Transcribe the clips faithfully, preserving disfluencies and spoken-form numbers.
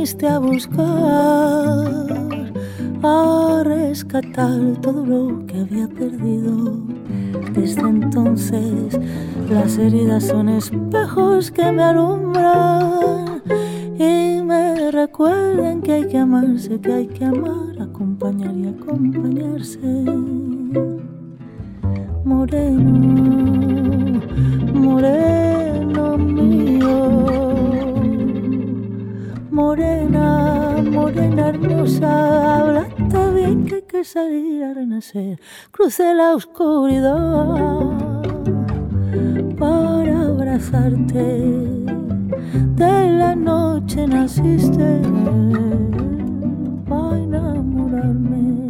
viniste a buscar, a rescatar todo lo que había perdido. Desde entonces las heridas son espejos que me alumbran y me recuerdan que hay que amarse, que hay que amar, acompañar y acompañarse. Moreno, moreno mío, morena, morena hermosa, háblate bien que hay que salir a renacer. Crucé la oscuridad para abrazarte, de la noche naciste para enamorarme.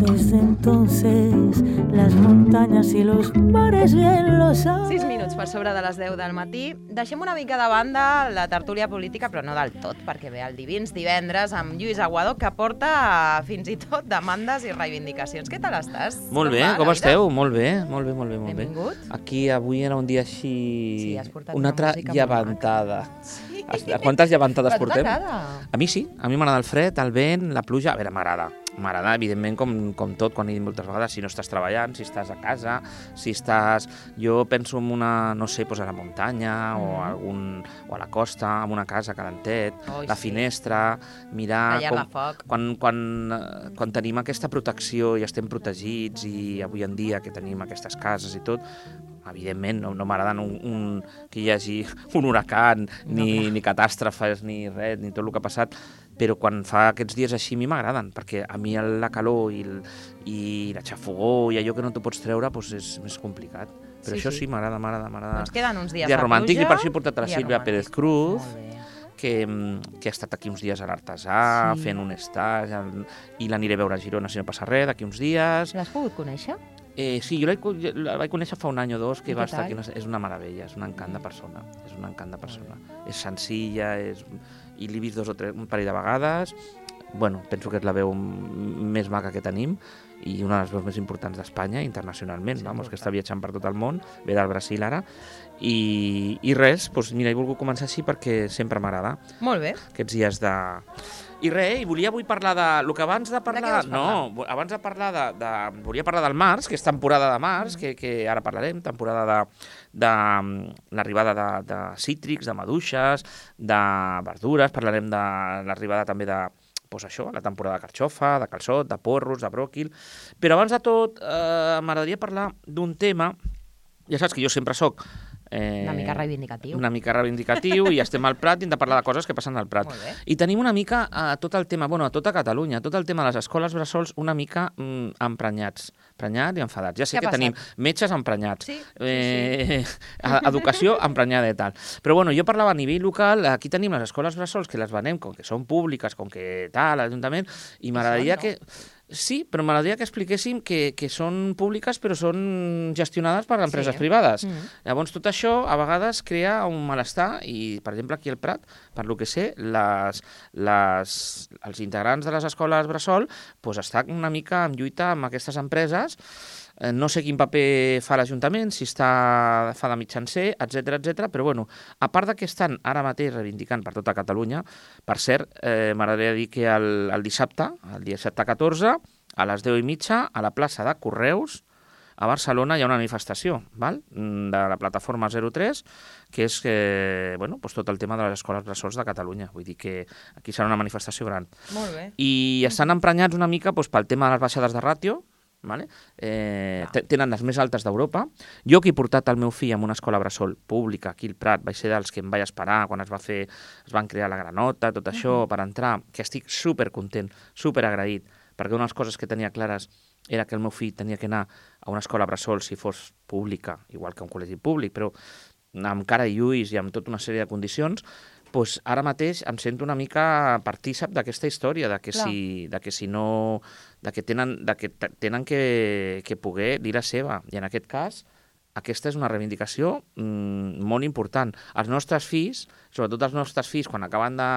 Desde entonces las muntanyes i los mares bien lo saben. sis minuts per sobre de les deu del matí. Deixem una mica de banda la tertúlia política, però no del tot, perquè ve el Divins divendres amb Lluís Aguado, que porta fins i tot demandes i reivindicacions. Què tal estàs? Molt bé, com esteu? Molt bé, molt bé, molt bé. Molt bé. Benvingut. Aquí avui era un dia així... Sí, has portat una altra llevantada. Sí. Quantes llevantades portem? Però t'agrada? A mi sí, a mi m'agrada el fred, el vent, la pluja. A veure, m'agrada. M'agrada, evidentment, com, com tot, quan he dit moltes vegades, si no estàs treballant, si estàs a casa, si estàs... Jo penso en una, no sé, doncs a la muntanya mm. o, a algun, o a la costa, en una casa calentet, oh, la sí. finestra, mirar... Tallar la foc. Quan, quan, quan tenim aquesta protecció i estem protegits i avui en dia que tenim aquestes cases i tot, evidentment, no, no m'agrada un, un, que hi hagi un huracan, ni, no, ni catàstrofes, ni res, ni tot el que ha passat, però quan fa aquests dies així a mi m'agraden, perquè a mi la calor i, el, i la xafogó i allò que no t'ho pots treure doncs és més complicat. Però sí, això sí, m'agrada, m'agrada, m'agrada. Doncs queden uns dies de romàntic, pluja, i per això he portat a la Sílvia Pérez Cruz, que, que ha estat aquí uns dies a l'Artesà, sí. fent un stage, i l'aniré a veure a Girona si no passa res, d'aquí uns dies. L'has pogut conèixer? Eh, sí, jo la, la vaig conèixer fa un any o dos, que va estar aquí. És una meravella, és un encant de persona. És un encant de persona. És senzilla, és... i l'he vist dos o tres, un parell de vegades. Bueno, penso que és la veu més maca que tenim i una de les veus més importants d'Espanya internacionalment, sí, vamos, que està viatjant per tot el món, ve del Brasil ara. I, i res, doncs mira, he volgut començar així perquè sempre m'agrada. Molt bé. Aquests dies de... I res, i volia avui parlar de... El que abans de parlar... De no, abans de parlar de, de... Volia parlar del març, que és temporada de març, que, que ara parlarem, temporada de, de l'arribada de, de cítrics, de maduixes, de verdures, parlarem de l'arribada també de... Doncs això, la temporada de carxofa, de calçot, de porros, de bròquil... Però abans de tot, eh, m'agradaria parlar d'un tema... Ja saps que jo sempre soc... Eh, una mica reivindicatiu. Una mica reivindicatiu i estem al Prat i hem de parlar de coses que passen al Prat. I tenim una mica a tot el tema, bueno, a tota Catalunya, tot el tema de les escoles bressols una mica mm, emprenyats, emprenyats i enfadats. Ja sé que tenim metges emprenyats, sí, eh, sí, sí. educació emprenyada i tal. Però bueno, jo parlava a nivell local, aquí tenim les escoles bressols que les venem com que són públiques, com que tal, l'Ajuntament, i m'agradaria que... Sí, però m'agradaria que expliquéssim que, que són públiques però són gestionades per empreses sí. privades. Mm. Llavors tot això a vegades crea un malestar i, per exemple, aquí al Prat, per lo que sé, les, les, els integrants de les escoles bressol pues, estan una mica en lluita amb aquestes empreses. No sé quin paper fa l'Ajuntament, si està, fa de mitjancer, etcètera, etcètera, però bueno, a part de que estan ara mateix reivindicant per tota Catalunya, per cert, eh, m'agradaria dir que el, el dissabte, el dissabte catorze, a les deu i mitja, a la plaça de Correus, a Barcelona hi ha una manifestació, val? De la plataforma zero tres, que és eh, bueno, doncs tot el tema de les escoles bressols de Catalunya. Vull dir que aquí serà una manifestació gran. Molt bé. I estan emprenyats una mica doncs, pel tema de les baixades de ràtio, vale? eh, tenen les més altes d'Europa. Jo que he portat el meu fill en una escola bressol pública aquí al Prat, vaig ser dels que em vaig esperar quan es va fer, es van crear la granota, tot això, uh-huh. per entrar, que estic supercontent, superagraït, perquè una de les coses que tenia clares era que el meu fill tenia que anar a una escola bressol si fos pública, igual que un col·legi públic, però amb cara i ulls i amb tota una sèrie de condicions, doncs ara mateix em sento una mica partícip d'aquesta història, de que, si, de que si no... de que tenen, de que, tenen que, que poder dir la seva. I en aquest cas, aquesta és una reivindicació mmm, molt important. Els nostres fills, sobretot els nostres fills, quan acaben de,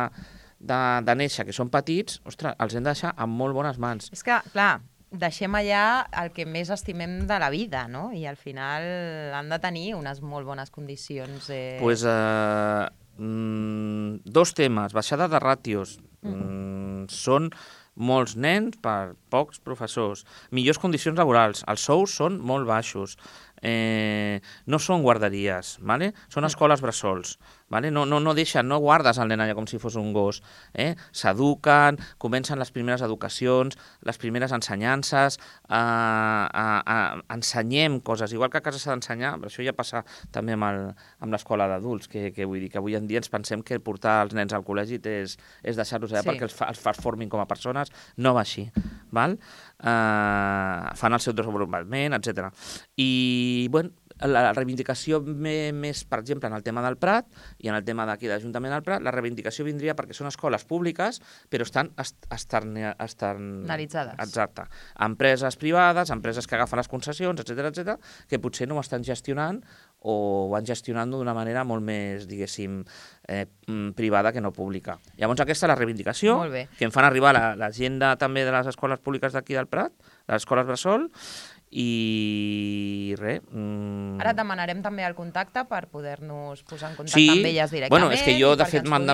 de, de néixer, que són petits, ostres, els hem de deixar en molt bones mans. És que, clar, deixem allà el que més estimem de la vida, no? I al final han de tenir unes molt bones condicions. Eh... Pues, eh, mm, dos temes, baixada de ràtios, mm, són molts nens per pocs professors, millors condicions laborals, els sous són molt baixos, eh, no són guarderies, ¿vale? Són escoles bressols, ¿vale? No, no, no deixen, no guardes el nen allà com si fos un gos, eh? S'eduquen, comencen les primeres educacions, les primeres ensenyances, eh, eh, eh, ensenyem coses, igual que a casa s'ha d'ensenyar, però això ja passa també amb, el, amb l'escola d'adults, que, que vull dir que avui en dia ens pensem que portar els nens al col·legi és, és deixar-los allà sí. perquè els, fa, els formin com a persones, no va així, val? Eh, fan el seu desenvolupament, etcètera. I, bueno, la reivindicació més, per exemple, en el tema del Prat i en el tema d'aquí de l'Ajuntament del Prat, la reivindicació vindria perquè són escoles públiques, però estan externalitzades. Exacte. Empreses privades, empreses que agafen les concessions, etcètera, etcètera, que potser no ho estan gestionant o ho van gestionant d'una manera molt més, diguéssim, eh, privada que no pública. Llavors aquesta és la reivindicació que em fan arribar la, la gent de, també de les escoles públiques d'aquí del Prat, de les escoles bressol, i res... Mm... Ara et demanarem també el contacte per poder-nos posar en contacte sí. amb elles directament. Bueno, és que jo, de fet, m'han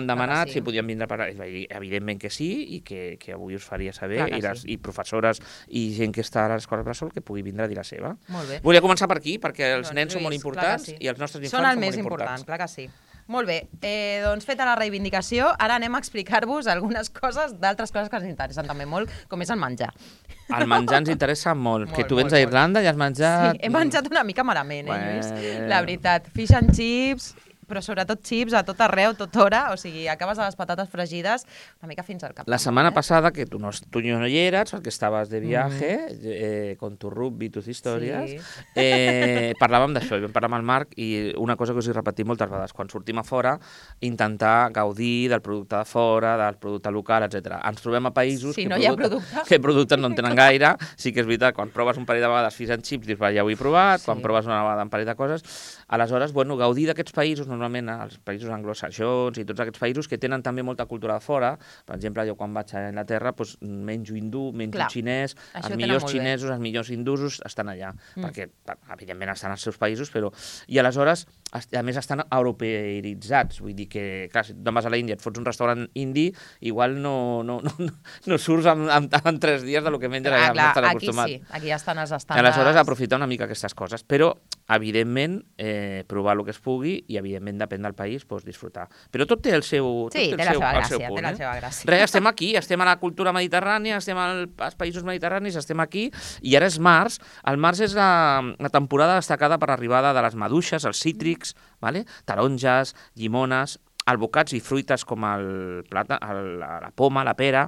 demanat sí. si podien vindre per... Evidentment que sí, i que, que avui us faria saber, i, les, sí. i professores i gent que està a les escoles bressol que pugui vindre a dir la seva. Molt bé. Volia començar per aquí, perquè els doncs, nens Lluís, són molt importants sí. i els nostres infants són, són molt important, importants. Clar que sí. Molt bé, eh, doncs feta la reivindicació, ara anem a explicar-vos algunes coses d'altres coses que ens interessen també molt, com és el menjar. El menjar ens interessa molt, molt que tu vens a Irlanda i has menjat... Sí, he menjat una mica malament, eh, Lluís? Bueno. La veritat, fish and chips, però sobretot chips a tot arreu, tot hora, o sigui, acabes a les patates fregides una mica fins al cap. La setmana eh? passada, que tu no, tu no hi eres, perquè estaves de viaje, mm. eh, con tu rugby i tus històries, sí. eh, parlàvem d'això, i vam parlar amb el Marc, i una cosa que us he repetit moltes vegades, quan sortim a fora, intentar gaudir del producte de fora, del producte local, etcètera. Ens trobem a països sí, que, no producte, producte. que productes no en tenen gaire, sí que és veritat, quan proves un parell de vegades fish and chips, dius, va, ja ho he provat, sí. quan proves una vegada un parell de coses, aleshores, bueno, gaudir d'aquests països, normalment els països anglosaxons i tots aquests països que tenen també molta cultura de fora. Per exemple, jo quan vaig a Anglaterra doncs, menjo hindú, menjo Clar, xinès, els millors xinesos, els millors hindusos estan allà, mm. perquè evidentment estan als seus països, però... I aleshores, a més, estan europeïtzats, vull dir que, clar, si te'n vas a l'Índia, et fots un restaurant indi, igual no, no, no, no surts en, en, en tres dies del que menges allà, clar, no estan aquí acostumat. Sí, aquí ja estan els estàndards. Aleshores, aprofitar una mica aquestes coses, però, evidentment, eh, provar el que es pugui i, evidentment, depèn del país, doncs, disfrutar. Però tot té el seu, tot sí, té el té seu, la seva el seu gràcia, punt. té la eh? seva gràcia. Res, estem aquí, estem a la cultura mediterrània, estem al, als països mediterranis, estem aquí, i ara és març. El març és la, la temporada destacada per l'arribada de les maduixes, els cítrics, vale? Taronges, llimones, albocats i fruites com el plata, el, la poma, la pera,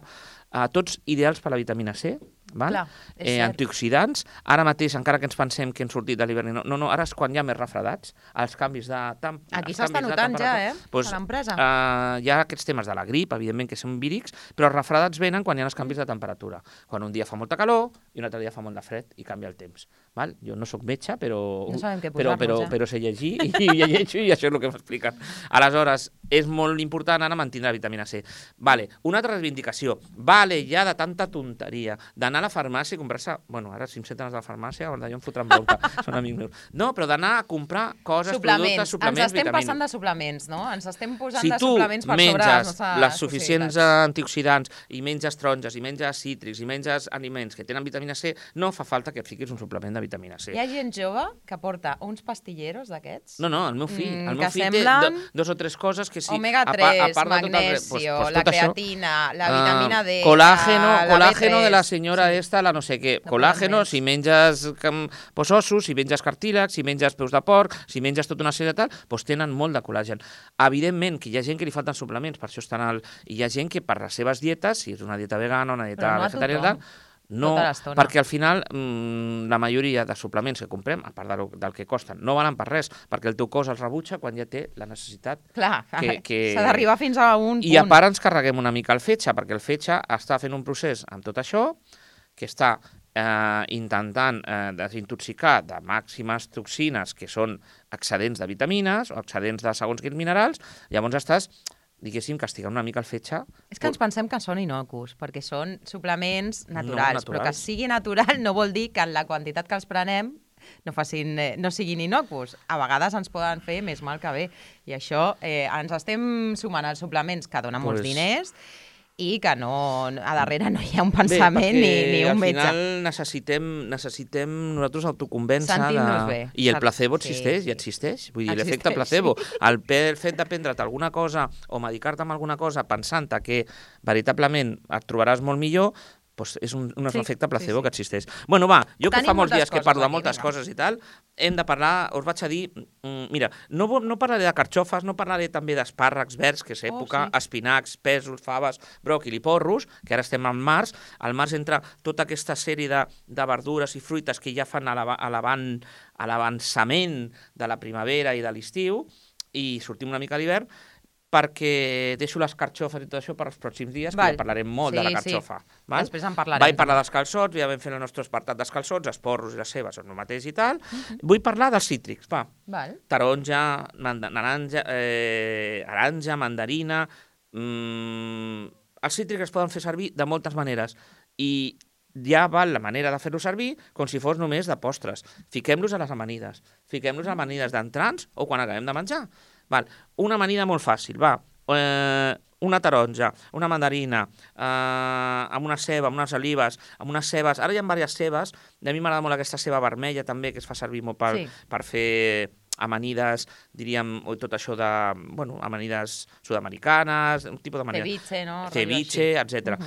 eh, tots ideals per la vitamina C, val? Clar, eh, antioxidants. Ara mateix, encara que ens pensem que hem sortit de l'hivern, no, no, no, ara és quan hi ha més refredats, els canvis de temp Aquí s'està notant ja, eh, pues, a l'empresa. Uh, hi ha aquests temes de la grip, evidentment que són vírics, però els refredats venen quan hi ha els canvis de temperatura. Quan un dia fa molta calor i un altre dia fa molt de fred i canvia el temps. Val? Jo no sóc metge, però, no però, però, ja. però sé llegir i, i llegeixo i això és el que m'expliquen. Aleshores, és molt important ara mantenir la vitamina C. Vale, una altra reivindicació. Vale, ja de tanta tonteria, d'anar a la farmàcia i comprar-se... Bueno, ara si em senten a la farmàcia, jo em fotran bronca, són amics meus. No, però d'anar a comprar coses, suplements. productes, suplements, Ens estem vitamines. passant de suplements, no? Ens estem posant si de suplements per sobre les nostres Si tu menges les suficients antioxidants i menges taronges i menges cítrics i menges aliments que tenen vitamina C, no fa falta que et fiquis un suplement de vitamina C. Hi ha gent jove que porta uns pastilleros d'aquests. No, no, el meu fill. Mm, el meu fill semblen... té dos o tres coses que sí. Omega tres, a, a part magnesio, tot el... pues, pues, la creatina, això, la vitamina D, uh, colágeno, la, colágeno la de la senyora sí. esta, la no sé què. No colágeno, si menges pues, ossos, si menges cartílags, si menges peus de porc, si menges tota una sèrie de tal, pues, tenen molt de col·làgen. Evidentment que hi ha gent que li falten suplements, per això estan al... I hi ha gent que per les seves dietes, si és una dieta vegana, una dieta no vegetariana, no, perquè al final mmm, la majoria de suplements que comprem, a part del, del que costen, no valen per res, perquè el teu cos els rebutja quan ja té la necessitat. Clar, que, que... s'ha d'arribar fins a un punt. I a part ens carreguem una mica el fetge, perquè el fetge està fent un procés amb tot això, que està eh, intentant eh, desintoxicar de màximes toxines, que són excedents de vitamines o excedents de segons quins minerals, llavors estàs... diguéssim, castigar una mica el fetge. És que ens pensem que són innocus, perquè són suplements naturals, no, naturals. però que sigui natural no vol dir que en la quantitat que els prenem no, facin, eh, no siguin innocus. A vegades ens poden fer més mal que bé. I això eh, ens estem sumant als suplements que donen molts Pues- diners i que no, a darrere no hi ha un pensament bé, ni, ni un al metge. final necessitem, necessitem nosaltres autoconvèncer. Sentir-nos bé. I el placebo Sí, existeix, sí. i existeix. Vull dir, Existeix, l'efecte placebo. sí. El pe- fet de prendre't alguna cosa o medicar-te amb alguna cosa pensant que veritablement et trobaràs molt millor, doncs és un, un Sí, efecte placebo sí, sí. que existeix. Bueno, va, jo que Tenim fa molts moltes dies que coses parlo de aquí, moltes vinga. coses i tal, hem de parlar, us vaig a dir, mm, mira, no, vo- no parlaré de carxofes, no parlaré també d'espàrrecs verds, que és època, Oh, sí. espinacs, pèsols, faves, bròquil i porros, que ara estem al març. Al març entra tota aquesta sèrie de, de verdures i fruites que ja fan a l'ava- a l'avant- a l'avançament de la primavera i de l'estiu, i sortim una mica a l'hivern, perquè deixo les carxofes i tot això per als pròxims dies, que Val. ja parlarem molt Sí, de la sí. carxofa. Val? Després en parlarem, Vaig parlar també. dels calçots, ja vam fer el nostre apartat dels calçots, els porros i les cebes són el mateix i tal. Vull parlar dels cítrics, va. Val. Taronja, manda, naranja, eh, aranja, mandarina... Mm, els cítrics es poden fer servir de moltes maneres i ja val la manera de fer-los servir com si fos només de postres. Fiquem-los a les amanides. Fiquem-los a amanides d'entrants o quan acabem de menjar. Val. Una amanida molt fàcil, va. Eh, una taronja, una mandarina, eh, amb una ceba, amb unes olives, amb unes cebes. Ara hi ha diverses cebes. A mi m'agrada molt aquesta ceba vermella també, que es fa servir molt per, Sí. per fer amanides, diríem, o tot això de, bueno, amanides sud-americanes, un tipus d'amanida. Ceviche, no? Rotllo Ceviche, així. etcètera.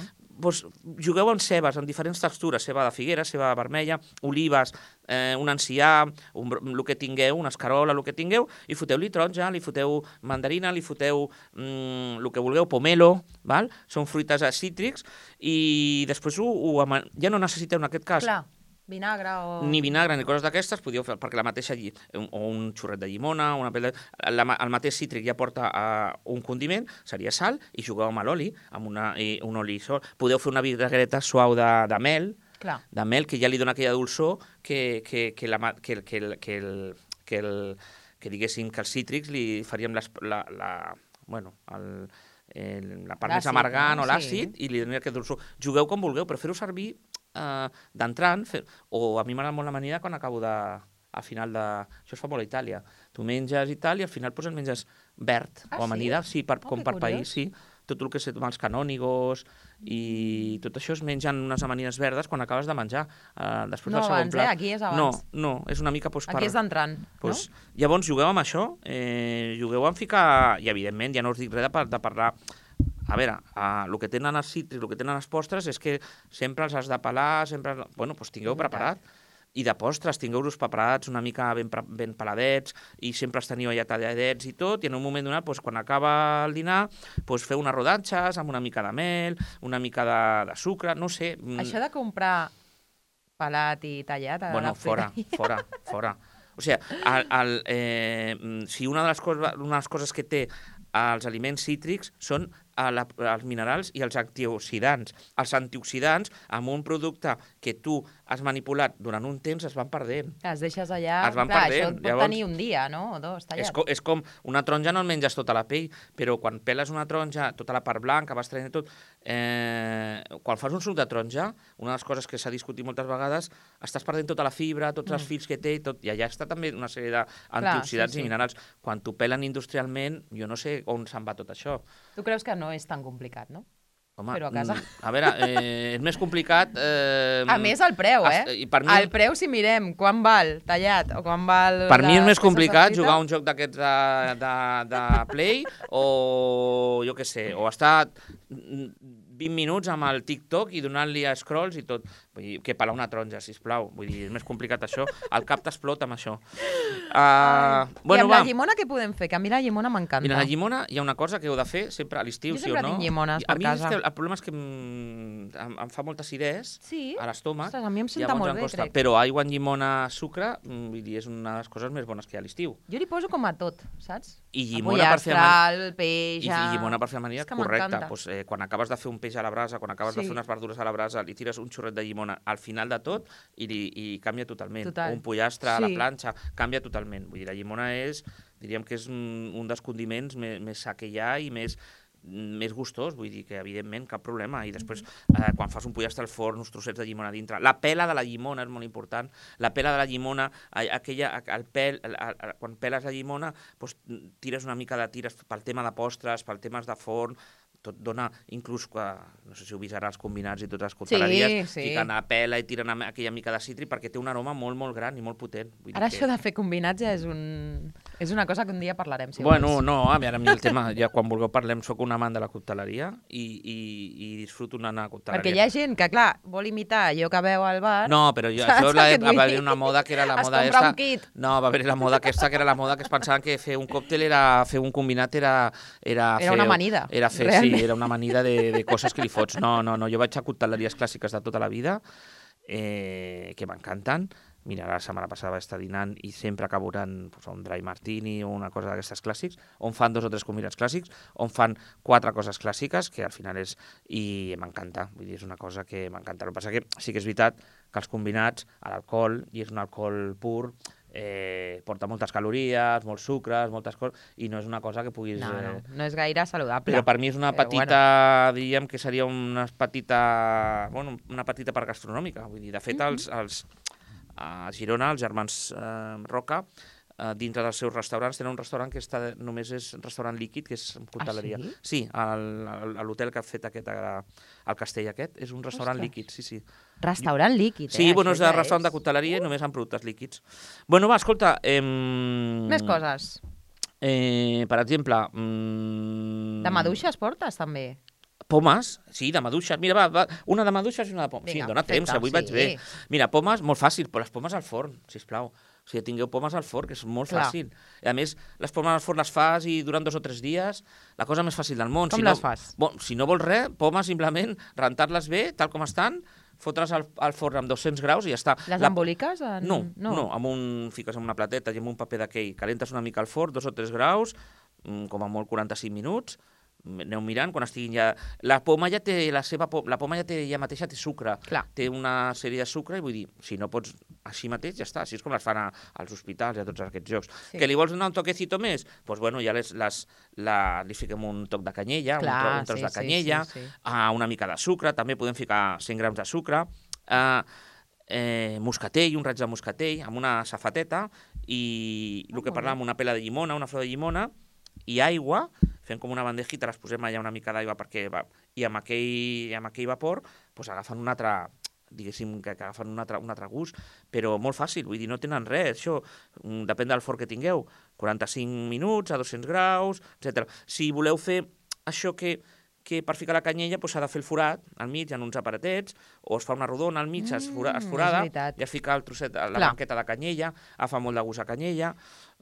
Pues, jugueu amb cebes, amb diferents textures, ceba de figuera, ceba vermella, olives, eh, un encià, un, bro- el que tingueu, una escarola, el que tingueu, i foteu-li taronja, li foteu mandarina, li foteu mm, el que vulgueu, pomelo, val? Són fruites eh, cítrics, i després ho, ho, ama- ja no necessiteu, en aquest cas, Clar, vinagre o... ni vinagre ni coses d'aquestes, podíeu fer, perquè la mateixa lli... un- o un xurret de llimona, una pell de... la, ma- el mateix cítric ja porta uh, un condiment, seria sal, i jugueu amb l'oli, amb una, i, un oli sol. Podeu fer una vinagreta suau de, de mel, Clar. de mel, que ja li dona aquella dolçor que, que, que, la, ma- que, el- que, el, que, el, que, el, que diguéssim que els cítrics li faríem les, la, la, bueno, el, el, la part més L'àcid, amargant no? o l'àcid, Sí. i li donaria aquest dolçor. Jugueu com vulgueu, però fer-ho servir eh, d'entrant, fer... o a mi m'agrada molt l'amanida quan acabo de... a final de... Això es fa molt a Itàlia. Tu menges i tal, i al final pues, el menges verd, Ah, o amanida, sí, per, Oh, com que per curiós. país, sí. Tot el que sé, els canònigos i tot això es mengen unes amanides verdes quan acabes de menjar. Uh, després No del segon abans, plat. eh? Aquí és abans. No, no, és una mica... Pues, per... Aquí és d'entrant, Pues, no? Llavors, jugueu amb això, eh, jugueu amb ficar... I, evidentment, ja no us dic res de, par de parlar... A veure, uh, el que tenen els cítrics, el que tenen les postres és que sempre els has de pelar, sempre... Bueno, doncs tingueu És veritat. preparat. I de postres, tingueu-los preparats una mica ben, pre- ben peladets i sempre els teniu allà talladets i tot, i en un moment donat, doncs, quan acaba el dinar, doncs, feu unes rodanxes amb una mica de mel, una mica de, de sucre, no sé... mm, Això de comprar pelat i tallat a Bueno, la fora, fruiteria. fora, fora. O sigui, el, el, eh, mm, si una de, les coses, una de les coses que té els aliments cítrics són a la, els minerals i els antioxidants. Els antioxidants, amb un producte que tu has manipulat durant un temps, es van perdent. Les deixes allà... Es van Clar, perdent, això et pot llavors- tenir un dia, no? O dos, És, tallat. co és com una taronja no el menges tota la pell, però quan peles una taronja, tota la part blanca, vas traient tot... Eh, quan fas un suc de taronja, una de les coses que s'ha discutit moltes vegades, estàs perdent tota la fibra, tots els fils que té, i, tot, i allà està també una sèrie d'antioxidants sí, sí. i minerals. Quan t'ho pelen industrialment, jo no sé on se'n va tot això. Tu creus que no és tan complicat, no? Home, Però a casa. mm, a veure, eh, és més complicat... Eh, A més, el preu, eh? es- I per mi, El preu, si mirem quan val tallat o quan val... Per mi és les més peces complicat de fruita. jugar a un joc d'aquests de, de, de Play o, jo què sé, o estar vint minuts amb el TikTok i donant-li a scrolls i tot. Vull dir, que pelar una taronja, sisplau. Vull dir, és més complicat això. El cap t'explota amb això. Uh, I bueno, amb va. la llimona què podem fer? Que a mi la llimona m'encanta. Mira, la llimona hi ha una cosa que heu de fer sempre a l'estiu, Jo sí o sempre no? tinc llimones a per mi és casa. que el problema és que em, em, em fa molta acidès Sí? a l'estómac. Ostres, a mi em senta llavors molt em bé, costa. crec. Però aigua amb llimona, sucre, mm, vull dir, és una de les coses més bones que hi ha a l'estiu. Jo li poso com a tot, saps? I El llimona per fer pollastre, el peix... I, i llimona per fer amanida, És que correcte. m'encanta. Pues, eh, quan acabes de fer un peix a la brasa, quan acabes Sí. de fer unes verdures a la brasa, li tires un xorret de llimona al final de tot i, li, i canvia totalment. Total. O un pollastre a la Sí. planxa, canvia totalment. Vull dir, la llimona és, diríem que és un, un dels condiments més, més sa que hi ha i més, més gustós, vull dir que evidentment cap problema, i després eh, quan fas un pollastre al forn, uns trossets de llimona dintre, la pela de la llimona és molt important, la pela de la llimona, eh, aquella, el pèl, el, el, quan peles la llimona, doncs, tires una mica de tires pel tema de postres, pel tema de forn, tot dona, inclús, no sé si heu vist ara els combinats i totes les coteleries, sí, sí. fiquen a pela i tiren aquella mica de citri perquè té un aroma molt, molt gran i molt potent. Vull ara dir això que... de fer combinats ja és, un... és una cosa que un dia parlarem, si bueno, vols. no, a mi ara a mi el tema, ja quan vulgueu parlem, sóc un amant de la coteleria i, i, i disfruto anar a la coteleria. Perquè hi ha gent que, clar, vol imitar allò que veu al bar... No, però jo, això la, va haver una moda que era la es moda compra esta... un kit. No, va haver la moda aquesta, que era la moda que es pensaven que fer un còctel era fer un combinat era... Era, era fer, una amanida. Era fer, realment. sí, era una amanida de, de coses que li fots. No, no, no, jo vaig a coteleries clàssiques de tota la vida, eh, que m'encanten. Mira, la setmana passada vaig estar dinant i sempre acabo anant pues, a un dry martini o una cosa d'aquestes clàssics, on fan dos o tres combinats clàssics, on fan quatre coses clàssiques, que al final és... I m'encanta, vull dir, és una cosa que m'encanta. El que passa que sí que és veritat que els combinats, l'alcohol, i és un alcohol pur, eh, porta moltes calories, molts sucres, moltes coses, i no és una cosa que puguis... No, no, eh... no és gaire saludable. Però per mi és una Però petita, bueno. diríem que seria una petita, bueno, una petita part gastronòmica. Vull dir, de fet, Mm-hmm. els, els, a Girona, els germans eh, Roca, eh, dintre dels seus restaurants, tenen un restaurant que està, només és un restaurant líquid, que és coteleria. Ah, sí? Sí, al, al, a l'hotel que ha fet aquest, al castell aquest, és un restaurant Ostres. líquid, sí, sí. Restaurant líquid, eh? Sí, bueno, és Això de ja restaurant és... de coteleria i només amb productes líquids. Bueno, va, escolta... Eh, Més coses. Eh, per exemple... Mm, De maduixes portes, també? Pomes, sí, de maduixes. Mira, va, va, una de maduixes i una de pomes. Vinga, sí, dona perfecte, temps, avui sí. vaig bé. Mira, pomes, molt fàcil, però les pomes al forn, sisplau. O sigui, tingueu pomes al forn, que és molt Clar. fàcil. I a més, les pomes al forn les fas i duren dos o tres dies, la cosa més fàcil del món. Com si les no, fas? Bon, si no vols res, pomes simplement, rentar-les bé, tal com estan, fotre's al, al forn amb dos-cents graus i ja està. Les La... emboliques? En... No, no, no, amb un, fiques en una plateta i amb un paper d'aquell, calentes una mica al forn, dos o tres graus, com a molt quaranta-cinc minuts, aneu mirant, quan estiguin ja... La poma ja té la seva... La poma ja té ja mateixa té sucre. Clar. Té una sèrie de sucre i vull dir, si no pots així mateix, ja està. Així és com les fan a, als hospitals i a tots aquests jocs. Sí. Que li vols donar un toquecito més? Doncs pues bueno, ja les, les, la, li fiquem un toc de canyella, Clar, un, tro, un tros sí, de canyella, sí, sí, sí. Uh, una mica de sucre, també podem ficar cent grams de sucre, uh, eh, moscatell, un raig de moscatell, amb una safateta, i el que parlàvem, una pela de llimona, una flor de llimona, i aigua, fem com una bandejita, les posem allà una mica d'aigua perquè va, i amb aquell, amb aquell vapor pues, agafen un altre, diguéssim, que agafen un altre, un altre gust, però molt fàcil, vull dir, no tenen res, això depèn del forn que tingueu, quaranta-cinc minuts a dos-cents graus, etcètera. Si voleu fer això que, que per ficar la canyella s'ha de fer el forat al mig en uns aparatets, o es fa una rodona al mig, mm, es, fora, es forada, i es fica el trosset, la Clar. banqueta de canyella, fa molt de gust a canyella,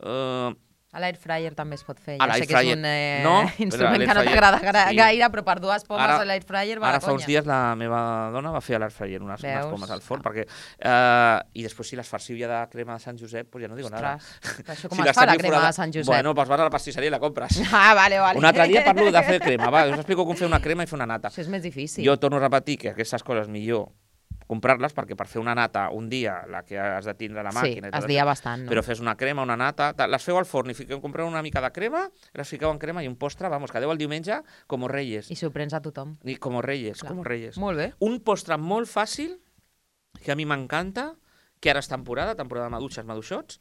eh, a l'air fryer també es pot fer. A Ja sé que és un eh, no, instrument que no t'agrada sí. gaire, però per dues pomes Ara- a l'air fryer va Ara la fa uns conya. dies la meva dona va fer a l'air fryer unes, unes Veus? pomes al forn, perquè... Eh, I després si les farciu ja de crema de Sant Josep, doncs ja no digo nada. Ostres, això com Si es les fa la teniu crema forada- de Sant Josep? Bueno, doncs vas a la pastisseria i la compres. Ah, vale, vale. Un altre dia parlo de fer crema, va, us explico com fer una crema i fer una nata. Això és més difícil. Jo torno a repetir que aquestes coses millor comprar-les, perquè per fer una nata un dia, la que has de tindre a la Sí, màquina... i tot es això, dia bastant, no? Però fes una crema, una nata, ta- les feu al forn i fiqueu, compreu una mica de crema, les fiqueu en crema i un postre, vamos, quedeu el diumenge com reyes. I s'ho prens a tothom. I com reyes, Clar. com reyes. Molt bé. Un postre molt fàcil, que a mi m'encanta, que ara és temporada, temporada de maduixes, maduixots,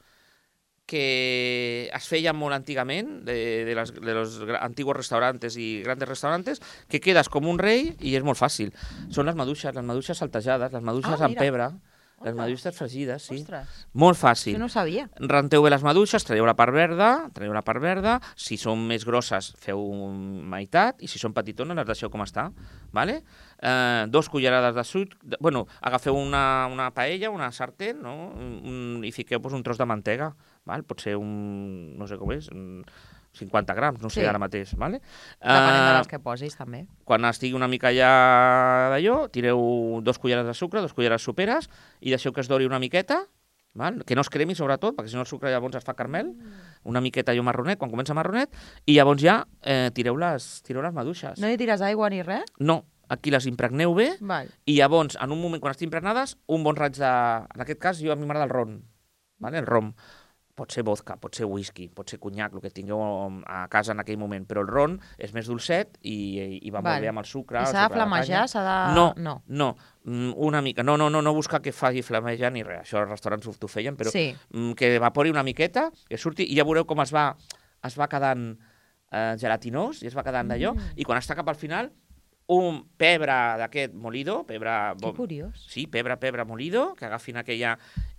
que es feia molt antigament, de, de, les, de los gra- antiguos restaurantes i grandes restaurantes, que quedes com un rei i és molt fàcil. Són les maduixes, les maduixes saltejades, les maduixes Ah, amb mira. pebre, les Ostres. maduixes fregides, sí. Ostres, Molt fàcil. això no ho sabia. Renteu bé les maduixes, traieu la part verda, traieu la part verda, si són més grosses feu meitat, i si són petitones les deixeu com està, vale? Eh, dos cullerades de suc, de, bueno, agafeu una, una paella, una sartén, no? un, i fiqueu pues, un tros de mantega, val? Pot ser un, no sé com és, un cinquanta grams, no sé Sí. ara mateix, vale? Depenent de Eh, les que posis, també. quan estigui una mica ja d'allò, tireu dos cullerades de sucre, dos cullerades soperes, i deixeu que es dori una miqueta, val? Que no es cremi sobretot, perquè si no el sucre llavors es fa caramel, una miqueta allò marronet, quan comença marronet, i llavors ja eh, tireu, les, tireu les maduixes. No hi tires aigua ni res? No, aquí les impregneu bé, Val. i llavors, en un moment, quan estiguin impregnades, un bon raig de... En aquest cas, jo a mi m'agrada el ron, vale? El rom. pot ser vodka, pot ser whisky, pot ser conyac, el que tingueu a casa en aquell moment, però el ron és més dolcet i, i va Val. molt bé amb el sucre. I s'ha de flamejar? S'ha de... No, no, no, una mica. No, no, no, no buscar que faci flamejar ni res, això als restaurants t'ho feien, però sí. que evapori una miqueta, que surti, i ja veureu com es va, es va quedant eh, gelatinós i es va quedant d'allò, mm. i quan està cap al final, un pebre d'aquest molido, pebre... Que curiós. Sí, pebre, pebre molido, que agafin aquella...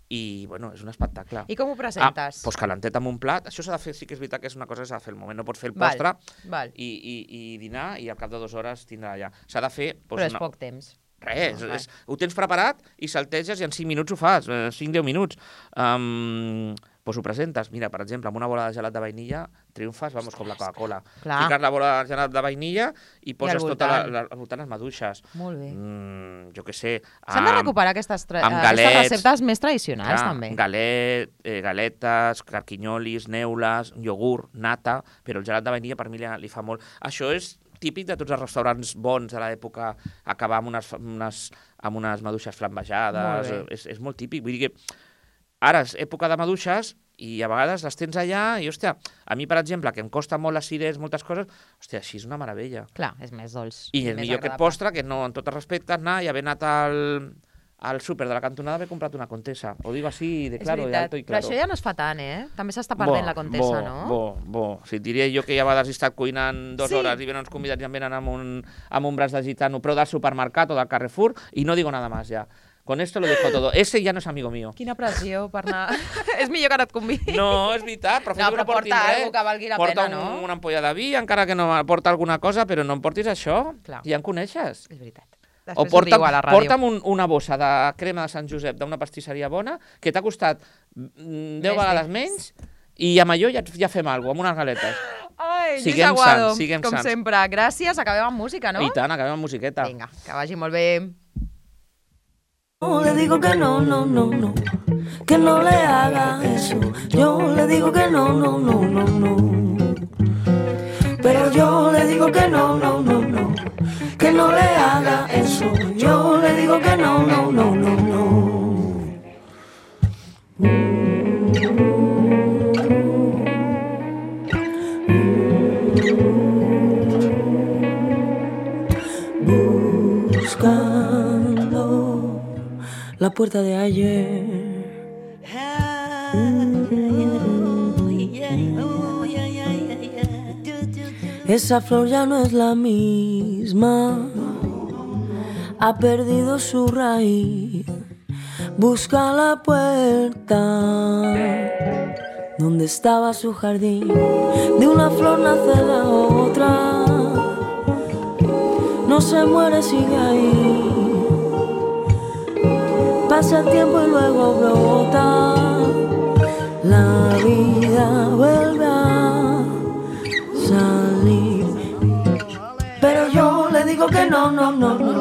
I, bueno, és un espectacle. I com ho presentes? Ah, doncs calentet amb un plat. Això s'ha de fer, sí que és veritat que és una cosa que s'ha de fer el moment. No pots fer el postre val, val. I, i, i dinar i al cap de dues hores tindrà allà. S'ha de fer... Doncs, Però és una... poc temps. Res, no, és, ho tens preparat i salteges i en cinc minuts ho fas, cinc deu minuts. Um, doncs ho presentes. Mira, per exemple, amb una bola de gelat de vainilla triomfes, vamos, com la Coca-Cola. Fiques la bola de gelat de vainilla i poses I tota la, la, al voltant les maduixes. Molt bé. Mm, jo què sé. S'han de recuperar aquestes, tra galets, aquestes receptes més tradicionals, clar, també. Galet, eh, galetes, carquinyolis, neules, iogurt, nata, però el gelat de vainilla per mi li, li fa molt. Això és típic de tots els restaurants bons de l'època, acabar amb unes, unes, amb unes maduixes flambejades, és, és molt típic. Vull dir que ara és època de maduixes i a vegades les tens allà i, hòstia, a mi, per exemple, que em costa molt l'acidès, moltes coses, hòstia, així és una meravella. Clar, és més dolç. I és millor aquest postre que no, en tot el respecte, anar i haver anat al... al súper de la cantonada haver comprat una Contesa. Ho dic així de claro, de alto i claro. Però això ja no es fa tant, eh? També s'està perdent bo, la Contesa, bo, no? Bo, bo. Si et diria jo que ja a vegades he estat cuinant dues sí. hores i venen uns convidats i em venen amb un, amb un braç de gitano, però del supermercat o del Carrefour, i no digo nada más ja. Con esto lo dejo todo. Ese ya no es amigo mío. Quina pressió per anar... és millor que no et convidi. No, és veritat, però, no, però no porta res. alguna que valgui la porta pena, un, no? una ampolla de vi, encara que no porta alguna cosa, però no em portis això. Clar. Ja em coneixes. És veritat. Després o porta'm, a la porta'm un, una bossa de crema de Sant Josep d'una pastisseria bona que t'ha costat deu vegades menys i amb allò ja, ja fem alguna cosa, amb unes galetes. Ai, siguem Lluís Aguado, sants, siguem com sants. sempre. Gràcies, acabem amb música, no? I tant, acabem amb musiqueta. Vinga, que vagi molt bé. Yo le digo que no, no, no, no, que no le haga eso. Yo le digo que no, no, no, no, no. Pero yo le digo que no, no, no, no, que no le haga eso. Yo le digo que no, no, no, no, no. Buscando la puerta de ayer. Esa flor ya no es la misma, ha perdido su raíz. Busca la puerta donde estaba su jardín. De una flor nace la otra, no se muere, sigue ahí. Pasa el tiempo y luego brota, la vida vuelve a salir. Pero yo le digo que no, no, no, no,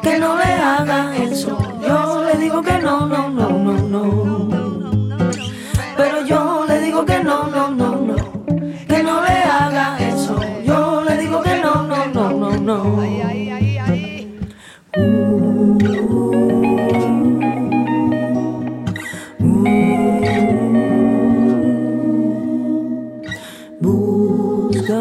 que no le haga eso. Yo le digo que no, no, no, no, no. Pero yo le digo que no, no, no, no, que no le haga eso. Yo le digo que no, no, no, no, no. Busca